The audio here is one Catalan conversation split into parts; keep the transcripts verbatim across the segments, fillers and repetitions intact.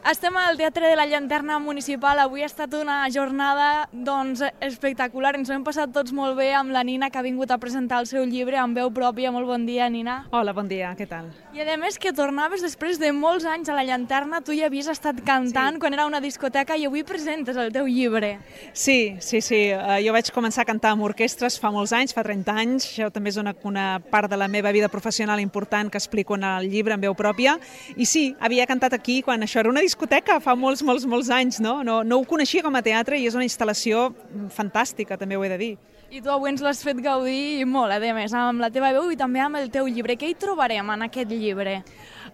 Estem al Teatre de la Llanterna Municipal. Avui ha estat una jornada doncs, espectacular. Ens ho hem passat tots molt bé amb la Nina, que ha vingut a presentar el seu llibre amb veu pròpia. Molt bon dia, Nina. Hola, bon dia, què tal? I a més que tornaves després de molts anys a la Llanterna, tu ja havies estat cantant sí. quan era una discoteca i avui presentes el teu llibre. Sí, sí, sí. Uh, jo vaig començar a cantar amb orquestres fa molts anys, fa trenta anys. Això també és una, una part de la meva vida professional important que explico en el llibre amb veu pròpia. I sí, havia cantat aquí quan això era una discoteca fa molts, molts, molts anys, no? No, no ho coneixia com a teatre i és una instal·lació fantàstica, també ho he de dir. I tu avui ens l'has fet gaudir molt, a més, amb la teva veu i també amb el teu llibre. Què hi trobarem en aquest llibre?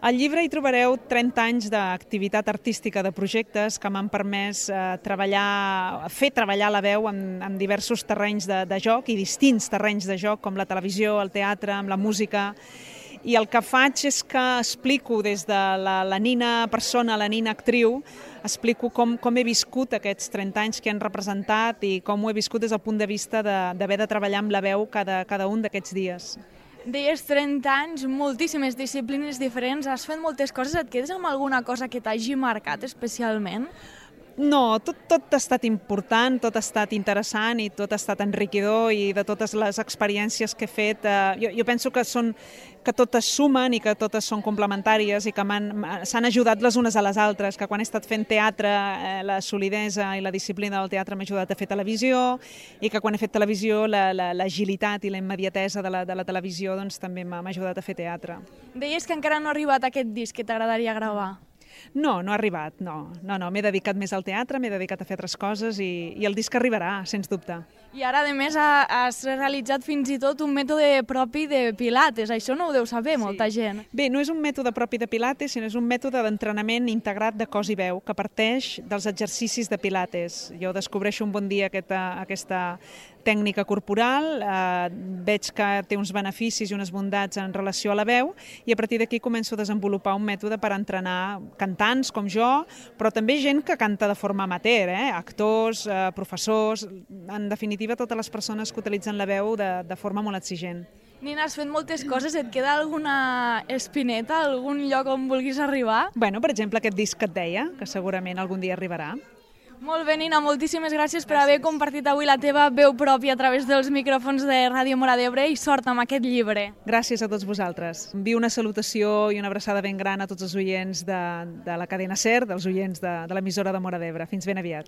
Al llibre hi trobareu trenta anys d'activitat artística, de projectes que m'han permès eh, treballar, fer treballar la veu en, en diversos terrenys de, de joc i distints terrenys de joc, com la televisió, el teatre, amb la música. I el que faig és que explico des de la, la Nina persona, la Nina actriu, explico com, com he viscut aquests trenta anys que han representat i com ho he viscut des del punt de vista d'haver de, de treballar amb la veu cada, cada un d'aquests dies. Deies trenta anys, moltíssimes disciplines diferents, has fet moltes coses, et quedes amb alguna cosa que t'hagi marcat especialment? No, tot, tot ha estat important, tot ha estat interessant i tot ha estat enriquidor i de totes les experiències que he fet, eh, jo, jo penso que són que totes sumen i que totes són complementàries i que s'han ajudat les unes a les altres, que quan he estat fent teatre eh, la solidesa i la disciplina del teatre m'ha ajudat a fer televisió i que quan he fet televisió l'agilitat la, la, i la immediatesa de la, de la televisió doncs, també m'ha ajudat a fer teatre. Deies que encara no ha arribat aquest disc que t'agradaria gravar. No, no ha arribat, no. No, no, m'he dedicat més al teatre, m'he dedicat a fer altres coses i, i el disc arribarà, sens dubte. I ara, a més, has realitzat fins i tot un mètode propi de pilates. Això no ho deu saber sí. molta gent. Bé, no és un mètode propi de pilates, sinó és un mètode d'entrenament integrat de cos i veu que parteix dels exercicis de pilates. Jo descobreixo un bon dia aquesta, aquesta tècnica corporal, eh, veig que té uns beneficis i unes bondats en relació a la veu i a partir d'aquí començo a desenvolupar un mètode per entrenar cantants com jo, però també gent que canta de forma amateur, eh? actors, eh, professors, en definitiva totes les persones que utilitzen la veu de, de forma molt exigent. Nina, has fet moltes coses, et queda alguna espineta, algun lloc on vulguis arribar? Bueno, per exemple, aquest disc que et deia, que segurament algun dia arribarà. Molt bé, Nina, moltíssimes gràcies, gràcies per haver compartit avui la teva veu pròpia a través dels micròfons de Ràdio Móra d'Ebre i sort amb aquest llibre. Gràcies a tots vosaltres. Envio una salutació i una abraçada ben gran a tots els oients de, de la cadena SER, dels oients de, de l'emissora de Móra d'Ebre. Fins ben aviat.